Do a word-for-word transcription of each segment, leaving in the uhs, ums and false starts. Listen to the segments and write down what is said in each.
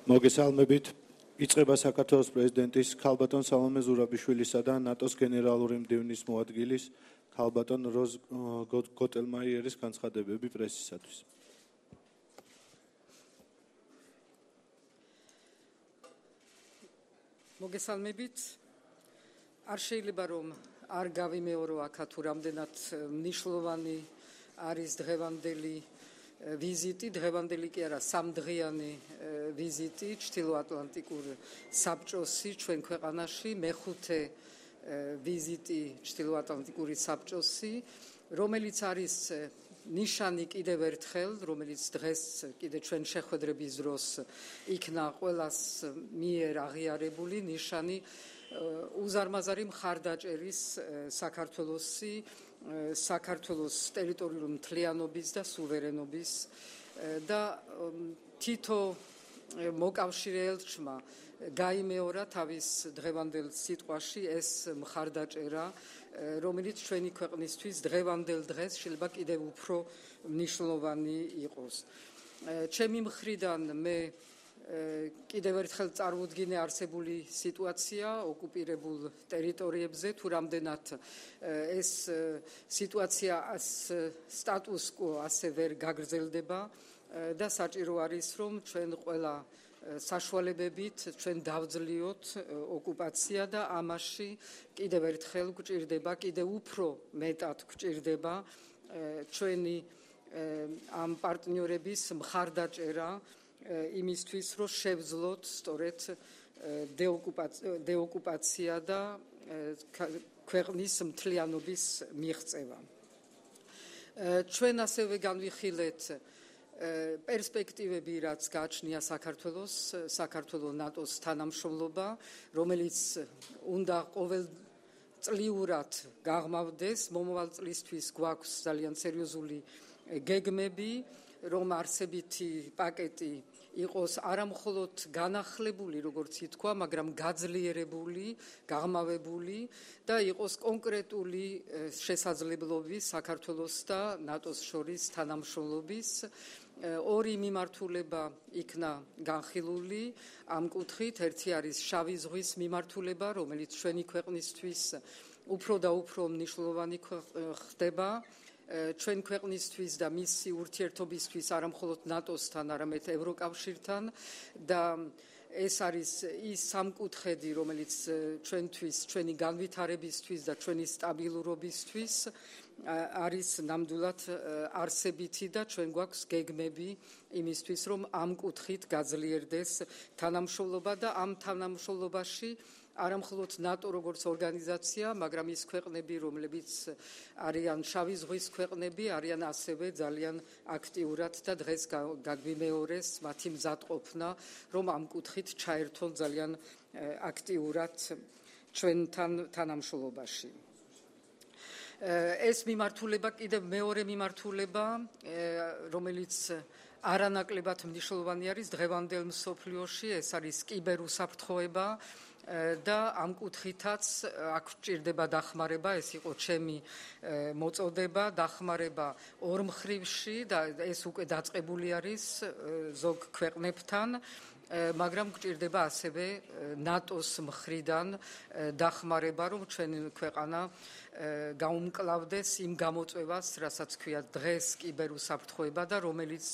მოგესალმებით. იწყება საქართველოს პრეზიდენტის ქალბატონ სალომე ზურაბიშვილისა და ნატოს გენერალური მდივნის მოადგილის ქალბატონ როზ გოტელმაიერის განცხადებები პრესისათვის. მოგესალმებით. არ შეიძლება რომ არ გავიმეორო აქ თუ რამდენად მნიშვნელოვანი არის დღევანდელი ვიზიტი, დღევანდელი კი არა, სამდღიანი ვიზიტი ჩრდილოატლანტიკურ საბჭოსი ჩვენ ქვეყანაში, მეხუთე ვიზიტი ჩრდილოატლანტიკური საბჭოსი, რომელიც არის ნიშანი კიდევ ერთხელ, რომელიც დღეს კიდე ჩვენ შეხვედრების დროს იქნა ყველას მიერ აღიარებული ნიშანი უზარმაზარი მხარდაჭერის საქართველოსი საქართველოს ტერიტორიული მთლიანობის და სუვერენობის და თითო მოკავშირე ელჩმა გაიმეორა თავის დღევანდელ სიტყვაში ეს მხარდაჭერა, რომელიც ჩვენი ქვეყნისთვის დღევანდელ დღეს შეიძლება კიდევ უფრო მნიშვნელოვანი იყოს. ჩემი მხრიდან მე კიდევ ერთხელ წარმოვდგინე არსებული სიტუაცია ოკუპირებულ ტერიტორიებზე, თუ რამდენად ეს სიტუაცია სტატუს quo ასე ვერ გაგრძელდება და საჭირო არის რომ ჩვენ ყველა საშუალებებით ჩვენ დავძლიოთ ოკუპაცია და ამაში კიდევ ერთხელ გვჭირდება, კიდევ უფრო მეტად გვჭირდება ჩვენი ამ პარტნიორების მხარდაჭერა იმისთვის რომ შევძლოთ სწორედ დეოკუპაცია და ქვეყნის მთლიანობის მიღწევა. ჩვენ ასევე განვიხილეთ პერსპექტივები, რაც გააჩნია საქართველოს, საქართველოს ნატოს თანამშრომლობა, რომელიც უნდა ყოველწლიურად გაღმავდეს, მომავალ წლისთვის გვაქვს ძალიან სერიოზული გეგმები, რომ არსებითი პაკეტი იყოს არამხოლოდ განახლებული, როგორც ითქვა, მაგრამ გაძლიერებული, გაღმავებული და იყოს კონკრეტული შესაძლებლობის საქართველოს და ნატოს შორის თანამშრომლობის. ორი მიმართულება იქნა განხილული ამ კუთხით, ერთი არის შავი ზღვის მიმართულება, რომელიც ჩვენი ქვეყნისთვის უფრო და უფრო მნიშვნელოვანი ხდება. ჩვენ ქვეყნისთვის და მისი ურთიერთობისთვის არამხოლოდ ნატოსთან, არამედ ევროკავშირთან და ეს არის ის სამკუთხედი, რომელიც ჩვენთვის, ჩვენი განვითარებისთვის და ჩვენი სტაბილურობისთვის არის ნამდვილად არსებითი და ჩვენ გვაქვს გეგმები იმისთვის, რომ ამ კუთხით გაძლიერდეს თანამშრომლობა და ამ თანამშრომლობაში არამხოლოდ ნატო როგორც ორგანიზაცია, მაგრამ ის ქვეყნები, რომლებიც არიან შავი ზღვის ქვეყნები, არიან ასევე ძალიან აქტიურად და დღეს გაგვიმეორეს მათი მზადყოფნა, რომ ამ კუთხით ჩაერთონ ძალიან აქტიურად ჩვენთან თანამშრომლობაში. ეს მიმართულება კიდევ მეორე მიმართულება, რომელიც არანაკლებად მნიშვნელოვანი არის დღევანდელ მსოფლიოში, ეს არის კიბერუსაფრთხოება და ამ კუთხითაც აქ ჭირდება დახმარება, ეს იყო ჩემი მოწოდება, დახმარება ორმხრივში და ეს უკვე დაწყებული არის ზოგ ქვეყნებთან, მაგრამ გვჭირდება ასევე ნატოს მხრიდან დახმარება, რომ ჩვენი ქვეყანა გაუმკლავდეს იმ გამოწვევას, რასაც ქვია დღეს კიბერუსაფრთხოება და რომელიც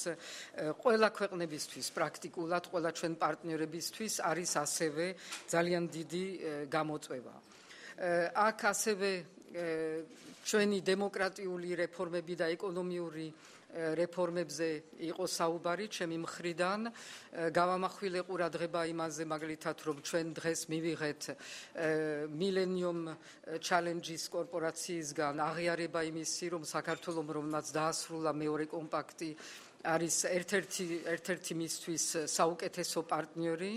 ყველა ქვეყნებისთვის, პრაქტიკულად ყველა ჩვენ პარტნიორებისთვის არის ასევე ძალიან დიდი გამოწვევა. აქ ასევე ჩვენი დემოკრატიული რეფორმები და ეკონომიური რეფორმებზე იყო საუბარი ჩემი მხრიდან. გავამახვილე ყურადღება იმაზე, მაგალითად, რომ ჩვენ დღეს მივიღეთ Millennium Challenges კორპორაციისგან აღიარება იმისი, რომ საქართველოს რომელმაც დაასრულა მეორე კომპაქტი არის ერთ-ერთი ერთ-ერთი მისთვის საუკეთესო პარტნიორი.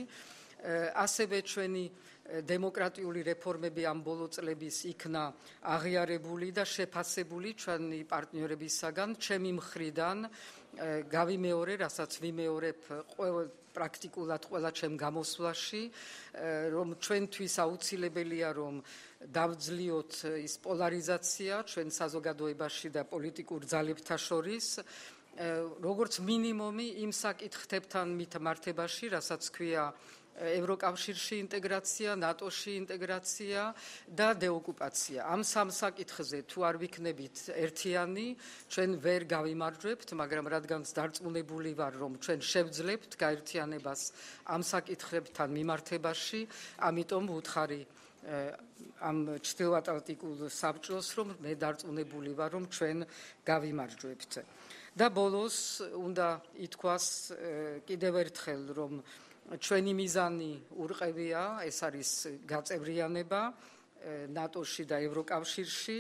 ასევე ჩვენი დემოკრატიული რეფორმები ამ ბოლო წლების იქნა აღიარებული და შეფასებული ჩვენი პარტნიორებისაგან. ჩემი მხრიდან გავიმეორე, რასაც ვიმეორებ პრაქტიკულად ყველა ჩემ გამოსვლაში, რომ ჩვენთვის აუცილებელია რომ დავძლიოთ ის პოლარიზაცია ჩვენ საზოგადოებაში და პოლიტიკურ ძალებთა შორის როგორც მინიმუმი იმ საკითხებთან მითმართებაში, რასაც ქვია ევროკავშირში ინტეგრაცია, ნატოში ინტეგრაცია და დეოკუპაცია. ამ სამ საკითხზე თუ არ ვიქნებით ერთიანი, ჩვენ ვერ გავიმარჯვებთ, მაგრამ რადგანაც დარწმუნებული ვარ, რომ ჩვენ შევძლებთ გაერთიანებას ამ საკითხებთან მიმართებაში, ამიტომ ვუთხარი ამ ჩრდილოატლანტიკულ საბჭოს, რომ მე დარწმუნებული ვარ, რომ ჩვენ გავიმარჯვებთ. და ბოლოს უნდა ითქვას კიდევ ერთხელ, რომ ჩვენი მიზანი ურყევია, ეს არის გაწევრიანება ნატოში და ევროკავშირში.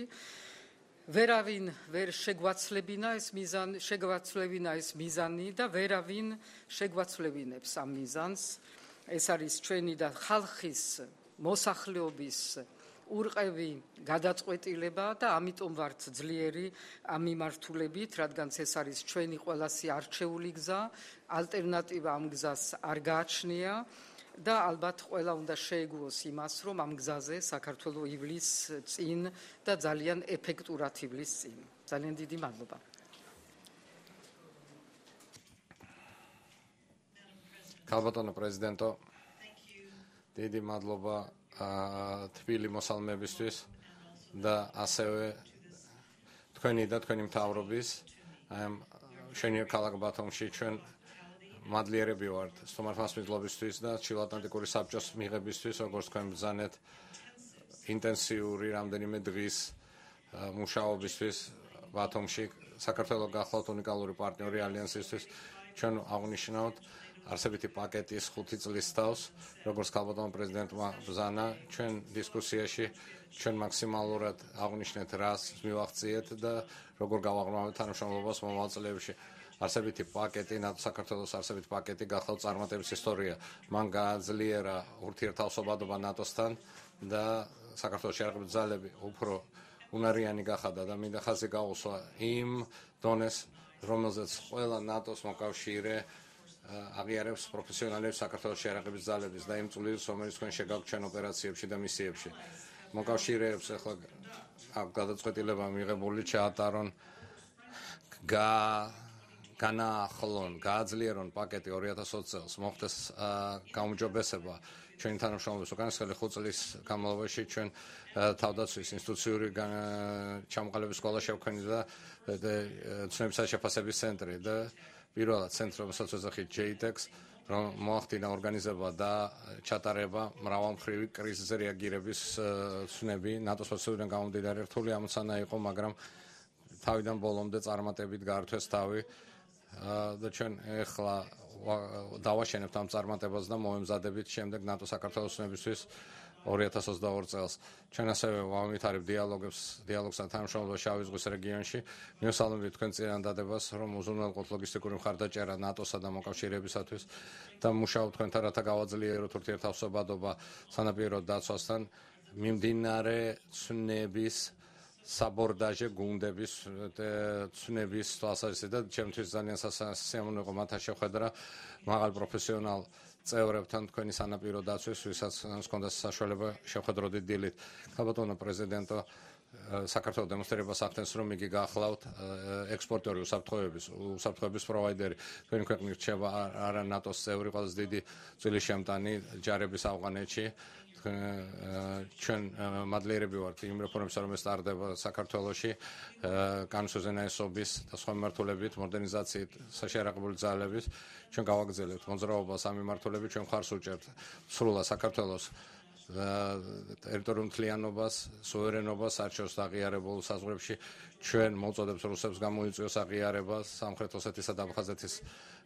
ვერავინ ვერ შეგვაცლებინა ეს მიზანი, შეგვაცლებინა ეს მიზანი და ვერავინ შეგვაცლებინებს ამ მიზანს. ეს არის ჩვენი და ხალხის მოსახლეობის ურყევი გადაწყვეტილება და ამიტომ ვართ ძლიერი ამ მიმართულებით, რადგან ეს არის ჩვენი ყველასი არჩეული გზა, ალტერნატივა ამ გზას არ გააჩნია და ალბათ ყველა უნდა შეეგუოს იმას, რომ ამ გზაზე საქართველო ივლის წინ და ძალიან ეფექტურად ივლის წინ. ძალიან დიდი მადლობა. ქალბატონო პრეზიდენტო, დიდი მადლობა თბილი მოსალმებისთვის და ასევე თქვენი და თქვენი მთავრობის ამ შენიერ ქალაქ ბათუმში ჩვენ მადლიერები ვართ სტუმართმასპინძლობისთვის და ჩრდილოატლანტიკური საბჭოს მიღებისთვის, როგორც თქვენ ბრძანეთ ინტენსიური რამდენიმე დღის მუშაობისთვის ბათუმში საქართველოს გახლავთ უნიკალური პარტნიორი ალიანსისთვის. ჩვენ აღნიშნავთ არსებითი პაკეტის ხუთი წლის თავს, როგორც ქალბატონო პრეზიდენტმა ბრძანა, ჩვენ დისკუსიაში ჩვენ მაქსიმალურად აღნიშნეთ რას მივაღწიეთ და როგორ გავაღრმავებთ თანამშრომლობას მომავალ წლებში. არსებითი პაკეტი, ნატო საქართველოს არსებითი პაკეტი გახლავთ წარმატების ისტორია. მან გააძლიერა ურთიერთთავსობადობა ნატოსთან და საქართველოს შეერაღებული ძალები უფრო უნარიანი გახადა და მინდა ხაზი გაუსვა იმ დონეს, რომელზეც ყველა ნატოს მოკავშირე აღიარებს პროფესიონალებს საქართველოს შეერაღების ძალების და იმ წვლილს, რომელიც თქვენ შეგაქვთ ჩვენ ოპერაციებში და მისიებში. მოკავშირეებს ახლა აქ გადაწყვეტილება მიღებული ჩაატარონ გა განაახლონ, გააძლიერონ პაკეტი ორი ათას ოცი წელს, მოხდეს გაუმჯობესება ჩვენი თანამშრომლობის უკანასკნელი ხუთ წლის განმავლობაში ჩვენ თავდაცვის ინსტიტუციური ჩამოყალიბების სკოლა შევქმნით და ცნობისა შეფასების ცენტრი და პირველად ცენტრი, რომელსაც ეძახით ჯეიტექს, რომ მოახდინა ორგანიზება და ჩატარება მრავალმხრივი კრიზისზე რეაგირების ცნები ნატოს პროცედურიდან გამომდინარე. რთული ამოცანა იყო, მაგრამ თავიდან ბოლომდე წარმატებით გაართვეს თავი და ჩვენ ეხლა დავაშენებთ ამ წარმატებას და მომემზადებით შემდეგ ნატო საქართველოს ცნებისთვის ორი ათას ოცდაორი წელს. ჩვენ ასევე ვავითარებთ დიალოგებს, დიალოგს და თანამშრომლობას შავი ზღვის რეგიონში. მივესალმებით თქვენ წინადადებას, რომ უზრუნველყოთ ლოგისტიკური მხარდაჭერა ნატოსა და მოკავშირეებისათვის და მუშაობთ თქვენთან, რათა გავაძლიეროთ ურთიერთთავსობადობა სანაპირო დაცვასთან მიმდინარე ცნების საბორდაჟე გუნდების ცნების თვალსაზრისით და ჩემთვის ძალიან სასიამოვნო იყო მათთან შეხვედრა მაღალ პროფესიონალ წევრებთან თქვენი სანაპირო დაცვის, ვისაც ჰქონდა საშუალება შეხვედროდით დილით. ქალბატონო პრეზიდენტო, საქართველოს დემონსტრირებას ახდენს, რომ იგი გახლავთ ექსპორტიორი უსაფრთხოების, უსაფრთხოების პროვაიდერი. თქვენი ქვეყნი რჩება არა ნატოს წევრი, ყველაზე დიდი წილის შემტანი ჯარების ავღანეთში. ჩვენ მადლიერები ვართ იმ რეფორმებისა, რომელიც ტარდება საქართველოში, განსაზღვრების და სხვა მიმართულებით, მოდერნიზაციით, საშიარაღებული ძალების. ჩვენ გავაგრძელებთ მოძრაობას ამ მიმართულებით, ჩვენ მხარს უჭერთ სრულად საქართველოს ტერიტორიულ მთლიანობას, სუვერენობას, არჩევს აღიარებულ საზღვრებში. ჩვენ მოუწოდებს რუსებს გამოიწვიოს აღიარება სამხრეთ ოსეთის და აფხაზეთის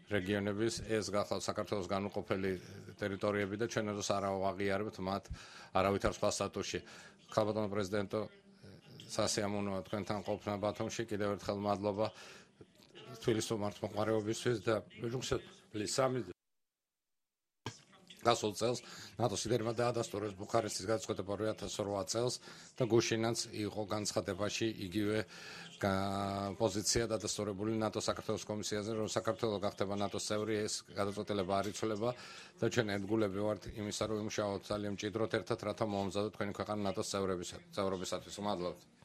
რეგიონების, ეს გახლავთ საქართველოს განუყოფელი ტერიტორიები და ჩვენ როს არ აღიარებთ მათ არავითარ სხვა სტატუსში. ქალბატონო პრეზიდენტო, სასიამოვნოა თქვენთან ყოფნა ბათუმში, კიდევ ერთხელ მადლობა თბილისის მართლმოყვარეობისთვის და სამი გასულ წელს ნატოს ლიდერმა დაადასტურეს ბუქარესტის გადაწყვეტილება ორი ათას ოთხ წელს და გუშინაც იყო განცხადებაში იგივე პოზიცია დადასტურებული ნატოს საქართველოს კომისიაზე, რომ საქართველო გახდება ნატოს წევრი, ეს გადაწყვეტილება არ იცვლება და ჩვენ ერთგულები ვართ იმისა, რომ იმუშაოთ ძალიან მჭიდროდ ერთად, რათა მომზადოთ თქვენი ქვეყანა ნატოს წევრობისათვის. მადლობთ.